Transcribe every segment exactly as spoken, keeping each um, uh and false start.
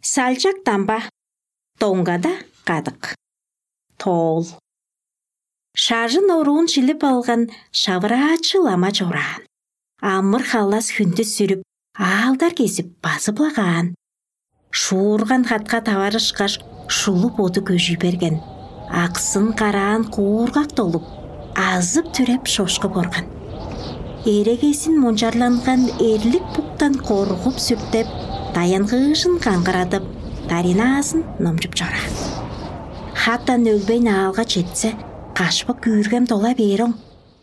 Салчак дамба, доңгада кадык. Тоол. Шажын оруун шилип алган шавыраачы лама чораан. Амыр-халас хүндүс сүрүп, аалдар кезип, базып-ла каан. Шуурган хатка таварышкаш, шулуп оду көжүй берген. Аксын караан куургак долуп, азып-түреп шошкуп орган. Эрегезин мончарланган эрлик буктан коргуп-сүртеп, даянгыыжын каңгырадып, даринаазын номчуп чораан. Хаттан өлбейн аалга четсе, кашпык күүргем дола бээроң,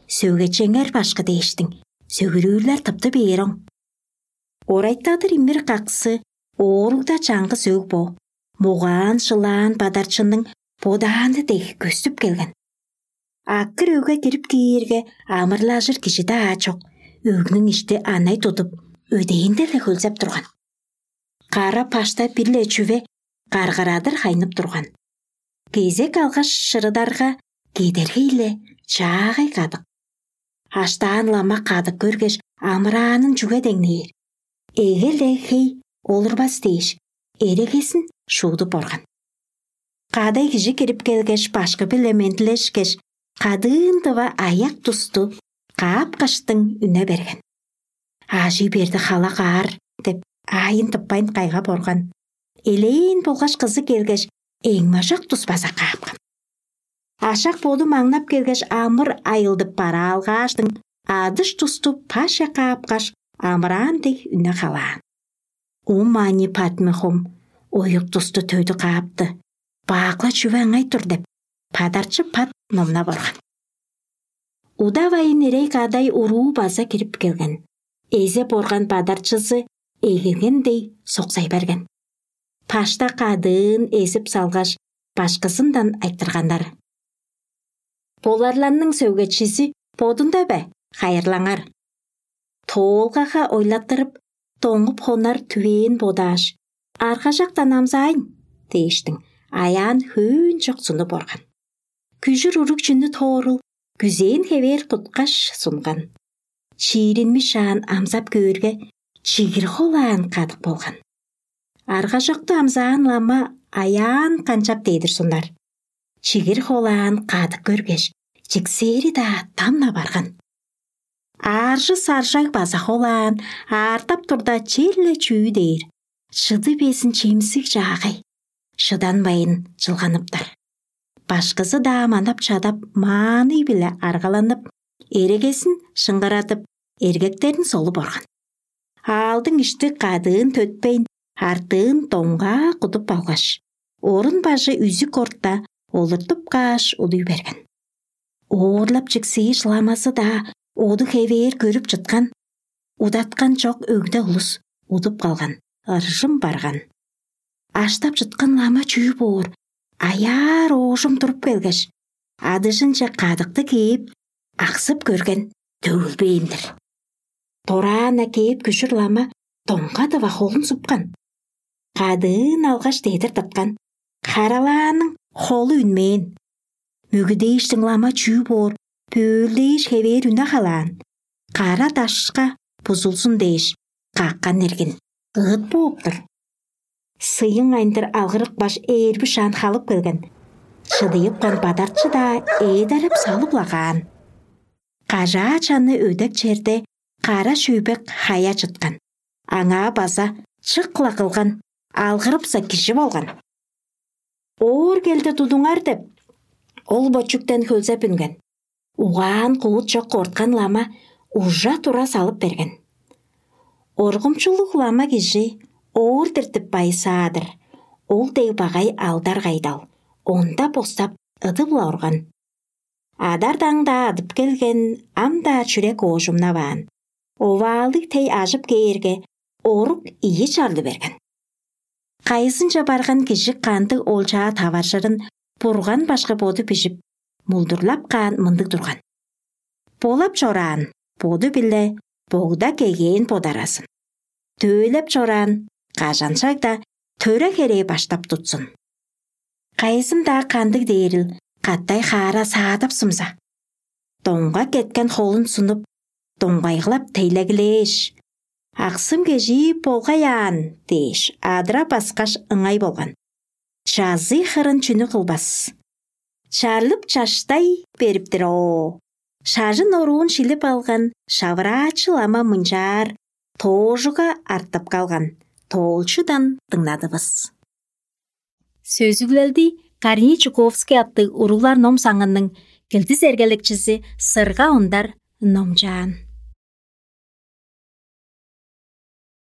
сөгечеңер башкы дээштиң, сөгүрүүрлер тыпты бээроң. Орайтадыр имир каксы ооругда чаңгыс өг бо, мугаан-шылаан бадарчының бодааны дег көстүп келген. Акыр өгге кирип киирге, амырлажыр кижи-даа чок, өгнүң ишти анай тудуп, өдээнде-ле хөлзеп турган. Кара пашта бир-ле чүве каргырадыр хайнып турган. Кезек алгаш шырыдарга, кедергей-ле чаагай кадык. Аштаан лама кадык көргеш, амыраанын чүге деңнээр? Эге-ле хей олурбас дээш, эрегезин шуудуп орган. Кадай кижи кирип келгеш, башкы-биле мендилешкеш, кадыын дыва аяк тусту каапкаштың үне берген. «Ажый берди халак аар» деп, аайын тыппайн кайгап орган. Элээн болгаш кызы келгеш, эңмажак тус база каапкан. Ашак боду маңнап келгеш, амыр айылдып бараалгааштың, адыш тусту паша каапкаш, амыраан дег үне халаан. Ум ани Падмехум оюк тусту төдү каапты, баакла чүве ыңай тур деп, падарчы пат номнап орган. Удавайын эрей кадай уруу база кирип келген. Эзеп орган падарчызы эгелген дей соксай берген. Пашта кадыын эзип салгаш, башкызындан айтырганнар: «Боларларның сөгечизи бодунда бе? Хайырлаңар». Тоолгага ойлаттырып, доңуп хонар түвээн бодааш: «Аргажактан амзаайн» дээштиң, аяан хөөн чок сунуп орган. Күжүр уруг чүнү тоорул, күзээн хевээр куткаш сунган. Чииринмишаан амзап көөрге, чигир холаан кадык болган. Аргажокту амзаан лама аяан канчап дедир сунар. Чигир холаан кадык көргеш, чиксээри-даа тамна барган. Ааржы саржаг база холаан аартап турда, черле чүү дээр, чыды безин чемсиг чаагай, шыданмайн чылганыптар. Башкызы-даа манап-чадап, мааннай-биле аргаланып, эрегезин шыңгырадып, эргектерин солуп орган. Аалдың ишти кадыын төтпейн, артыын доңгаа кудуп алгаш, орун бажы үзүк орта олуртуп кааш, удуй берген. Оорлап чиксээш ламазы-даа оду хевээр көрүп чыткан, удаткан чок өгде улус удуп калган, ыржым барган. Аштап чыткан лама чүү боор, аяар оожум туруп келгеш, адыжынче кадыкты кээп, аксып көрген, төгүлбээн-дир. Дораан-на кээп күжүр лама доңга дыва холун супкан. Кадыын алгаш дедир тыпкан. Харалааның холу үнмээн. Мөгүдээштиң лама чүү боор, бөөлдээш хевээр үне халаан. Кара дашка бузулзун дээш, каккан иргин ыыт бооп-тур. Сыйың айындыр алгырыпкаш, ээрби шаан халып келген. Шыдыйыпкан бадарчы-даа ээдереп салып-ла каан. Кажаа чаны өдек черде кара шөйбек хая чыткан. Аңаа база чык-ла кылган, алгырыпса кижи болган. Оор келди тудуңар деп, ол бочуктен хөлзеп үнген. Угаан-куут чок корткан лама ужа-тура салып берген. Оргумчулуг лама кижи оор диртип байысаадыр, ол дег багай алдар кайдал, онда бостап ыдып-ла орган. Адар-даң-даа адып келген, ам-даа чүрек оожумнаваан. Оваалыг тей ажып кээрге, орук ийи чарлы берген. Кайызынче барган кижи кандыг олчаа таваржырын Бурган башкы боду бижип, мулдурлап каан мындыг турган: «Болап чораан боду-биле богда кегээн бодаразын. Дөөлеп чораан кажан-шагда төре херээ баштап тутсун. Кайызын-даа кандыг дээрил катай хаара саадапсымза, доңга кеткен холун сунуп, доңгайгылап тейлегилээш, Аксым кежии болгай аан дээш, адыра баскаш ыңай болган. Чазый хырын чүнү кылбас? Чарлып чаштай бериптир оо. Шажын оруун шилип алган шавыраачы лама мынчаар тоожуга артып калган тоолчудан дыңнадывыс. Сөзүглелди Корней Чуковский аттыг уруглар ном саңының килдис эргелекчизи Сырга Ондар номчаан.